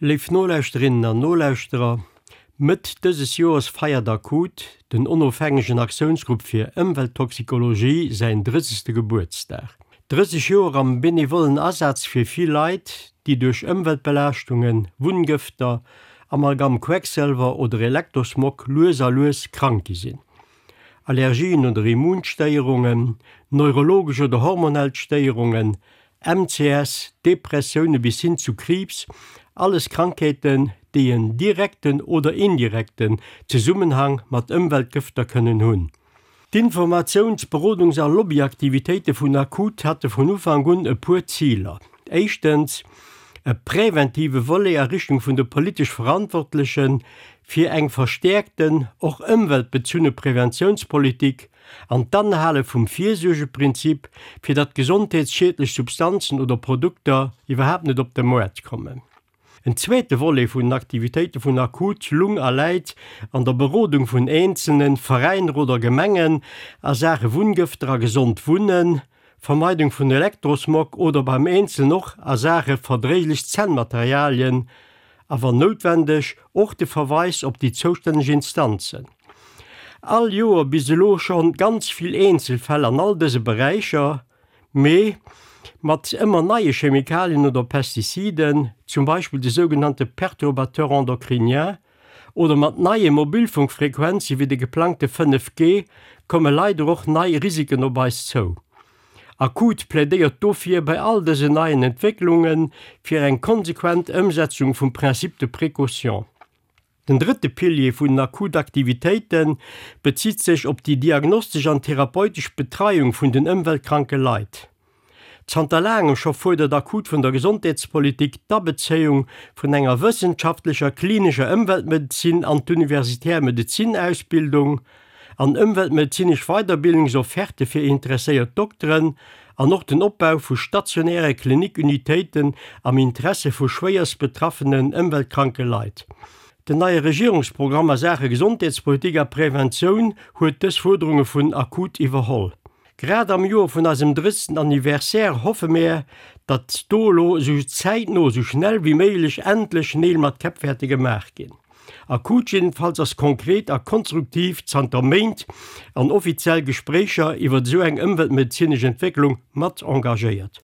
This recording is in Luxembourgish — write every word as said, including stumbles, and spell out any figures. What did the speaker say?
Léif Nolauschterinnen an Nolauschterer, Mëtt dëses Joers feiert ACUT, den onofhängegen Aktiounsgrupp fir Ëmwelttoxikologie, säin drëssegste Gebuertsdag. Drësseg Joer am benevollen Asaz fir vill Leit, déi duerch Ëmweltbelaaschtungen, Wunngëfter, Amalgam, Quecksëlwer oder Elektrosmog lues a lues krank gi sinn. Allergien oder Immunstéierungen, neurologesch oder hormonell Stéierungen, M C S, Depressioune bis hin zu Kriibs, alles Krankheeten, déi en direkten oder indirekten Zesummenhang mat Ëmweltgëfter kënnen hunn. D'Informatiouns-, Berodungs a Lobbyaktivitéite vun ACUT hate vun Ufank un e puer Ziler. Éischtens, e präventive Volet a Richtung vun de politesch Verantwortlechen, fir eng verstäerkten, och ëmweltbezunne Preventiounspolitik an d'Anhale vum Virsuergeprinzip, fir datt gesondheetsschiedlech Substanzen oder Produkter iwwerhaapt net op de Moart kommen. En zweete Volet vun den Aktivitéite vun ACUT lung a läit an der Berodung vun Eenzelnen, Veräiner oder Gemengen a Saache Wunngëfter a gesond Wunnen, Vermeidung vun Elektrosmog oder beim Eenzelnen och a Saache verdréiglech Zännmaterialien, a wann noutwendeg och de Verweis op déi zoustänneg Instanzen. All Joer bis elo schonn ganz vill Eenzelfäll an all dëse Beräicher, mee mat ëmmer neie Chemikalien oder Pestiziden, zum Beispill de sougenannte Perturbateurs endocriniens, oder mat neie Mobilfunkfrequenze wéi de geplangte fënnef G, komme leider och nei Risiken op eis zou. ACUT plädéiert dofir bei all dësen neien Entwécklunge fir eng konsequent Ëmsetzung vum Principe de précaution. Den drëtte Pilier vun den ACUT-Aktivitéite bezitt sech op déi diagnostesch an therapeutesch Betreiung vun den ëmweltkranke Leit. Zanter laangem scho fuerdert ACUT vun der Gesondheetspolitik d'Abezéiung vun enger wëssenschaftlecher klinescher Ëmweltmedezin an d'universitär Medezinausbildung, an ëmweltmedezinesch Weiderbildungsofferte fir interesséiert Dokteren an och den Opbau vu stationäre Klinikunitéiten am Interesse vu schwéierst betraffenen ëmweltkranke Leit. Den neie Regierungsprogramm a Saache Gesondheetspolitik a Preventioun huet dës Fuerderunge vun ACUT iwwerholl. Grad am Joer vun eisem drëssegsten Anniversaire hoffe mär, datt do elo esou zäitno, esou schnell wéi méiglech endlech Neel mat Käpp wäerte gemaach ginn. ACUT jiddefalls ass konkret a konstruktiv zanter Méint an offiziell Gespréicher iwwer esou eng ëmweltmedezinesch Entwécklung mat engagéiert.